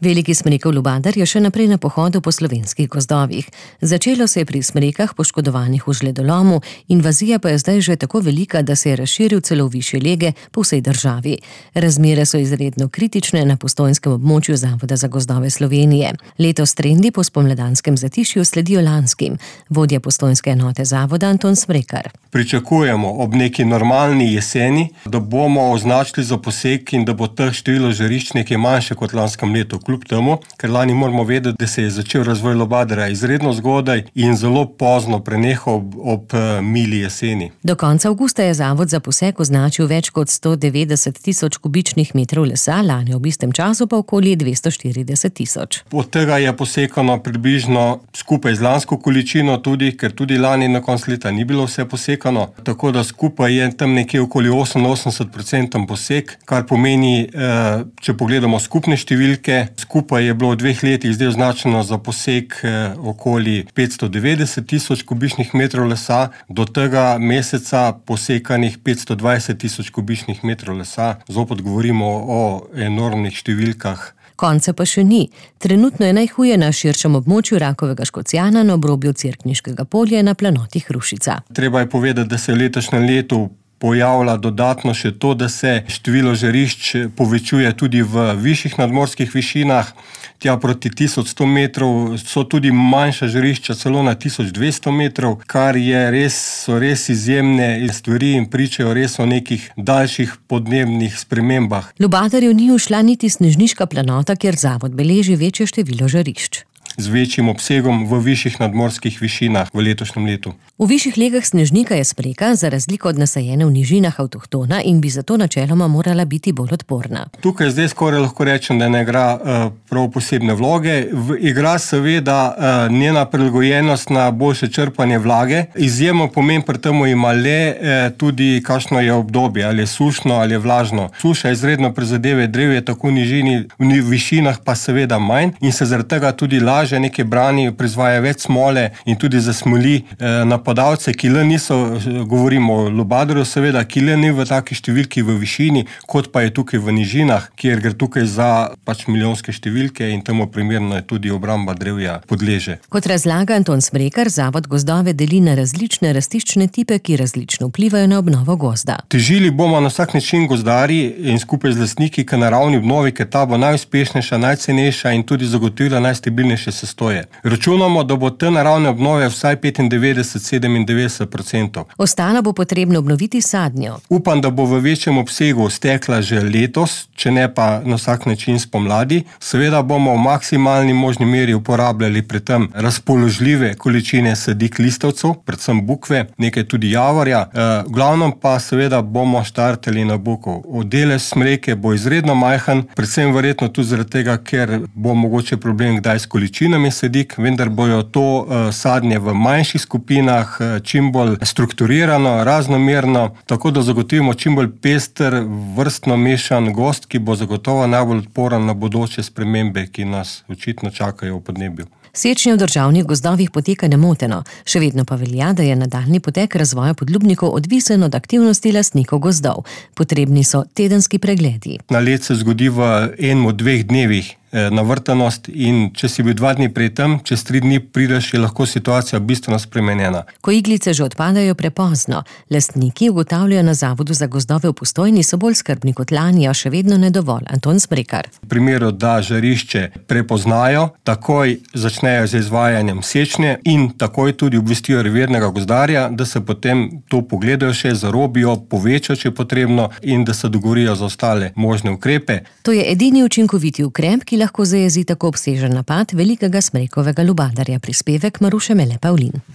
Veliki smrekov lubadar je še naprej na pohodu po slovenskih gozdovih. Začelo se je pri smrekah poškodovanih v žledolomu, invazija pa je zdaj že tako velika, da se je razširil celo v višje lege po vsej državi. Razmere so izredno kritične na postojnskem območju Zavoda za gozdove Slovenije. Letos trendi po spomladanskem zatišju sledijo lanskim. Vodja postojnske enote zavoda Anton Smrekar. Pričakujemo ob neki normalni jeseni, da bomo označili za posek in da bo teh število žarišč nekaj manjše kot lanskem letu. Kljub temu, ker lani moramo vedeti, da se je začel razvoj lubadarja izredno zgodaj in zelo pozno prenehal ob mili jeseni. Do konca avgusta je zavod za posek označil več kot 190 tisoč kubičnih metrov lesa, lani ob istem času pa okoli 240 tisoč. Od tega je posekano približno skupaj z lansko količino tudi, ker tudi lani na konec leta ni bilo vse posekano, tako da skupaj je tam nekje okoli 88% posek, kar pomeni, če pogledamo skupne številke, skupaj je bilo v 2 letih zdaj označeno za posek okoli 590 tisoč kubičnih metrov lesa, do tega meseca posekanih 520 tisoč kubičnih metrov lesa. Zopet govorimo o enormnih številkah. Konca pa še ni. Trenutno je najhuje na širšem območju Rakovega Škocjana na obrobju Cerkniškega polja na planotih Hrušica. Treba je povedati, da se v letošnjem letu pojavlja dodatno še to, da se število žarišč povečuje tudi v višjih nadmorskih višinah. Tja proti 1100 metrov so tudi manjša žarišča, celo na 1200 metrov, kar so res izjemne stvari in pričajo res o nekih daljših podnebnih spremembah. Lubadarju ni ušla niti snežniška planota, kjer zavod beleži večje število žarišč. Z večjim obsegom v višjih nadmorskih višinah v letošnjem letu. V višjih legah snežnika je smreka, za razliko od nasajene v nižinah, avtohtona in bi zato načeloma morala biti bolj odporna. Tukaj zdaj skoraj lahko rečem, da ne igra prav posebne vloge. Igra seveda njena prilagojenost na boljše črpanje vlage. Izjemno pomen pri temu ima le tudi kakšno je obdobje, ali je sušno ali je vlažno. Suša izredno prizadeve drevje, tako v nižini, v višinah pa seveda manj in se zaradi tega tudi laže nekaj brani, proizvaja več smole in tudi zasmoli napadalce, ki le niso, govorimo o lubadarju seveda, ki le ni v taki številki v višini, kot pa je tukaj v nižinah, kjer gre tukaj za milijonske številke in temu primerno je tudi obramba drevja podleže. Kot razlaga Anton Smrekar, zavod gozdove deli na različne rastiščne tipe, ki različno vplivajo na obnovo gozda. Težili bomo na vsak način gozdarji in skupaj z lastniki k naravni obnovi, ker ta bo najuspešnejša, najcenejša in tudi zagotovila najstabilnejše sestoje. Računamo, da bo te naravne obnove vsaj 95-97%. Ostalo bo potrebno obnoviti sadnjo. Upam, da bo v večjem obsegu stekla že letos, če ne pa na vsak način spomladi. Seveda bomo v maksimalni možni meri uporabljali pri tem razpoložljive količine sadik listavcev, predvsem bukve, nekaj tudi javorja. V glavnem pa seveda bomo štartali na bukov. Delež smreke bo izredno majhen, predvsem verjetno tudi zaradi tega, ker bo mogoče problem kdaj s količinami sadik, vendar bojo to sadnje v manjših skupinah, čim bolj strukturirano, raznomerno, tako da zagotovimo čim bolj pester, vrstno mešan gozd, ki bo zagotovo najbolj odporen na bodoče spremembe, ki nas očitno čakajo v podnebju. Sečnja v državnih gozdovih poteka nemoteno, še vedno pa velja, da je nadaljnji potek razvoja podlubnikov odvisen od aktivnosti lastnikov gozdov. Potrebni so tedenski pregledi. Na let se zgodi v 1-2 dnevih navrtanost in če si bil 2 dni pred tem, čez 3 dni prideš, je lahko situacija bistveno spremenjena. Ko iglice že odpadajo prepozno, lastniki ugotavljajo na Zavodu za gozdove v Postojni so bolj skrbni kot lani, a še vedno ne dovolj. Anton Smrekar. V primeru, da žarišče prepoznajo, takoj začnejo z izvajanjem sečnje in takoj tudi obvestijo revirnega gozdarja, da se potem to pogledajo še, zarobijo, povečajo, če je potrebno in da se dogovorijo za ostale možne ukrepe. To je edini učinkoviti ukrep, ki lahko zajezi tako obsežen napad velikega smrekovega lubadarja. Prispevek Maruše Mele Pavlin.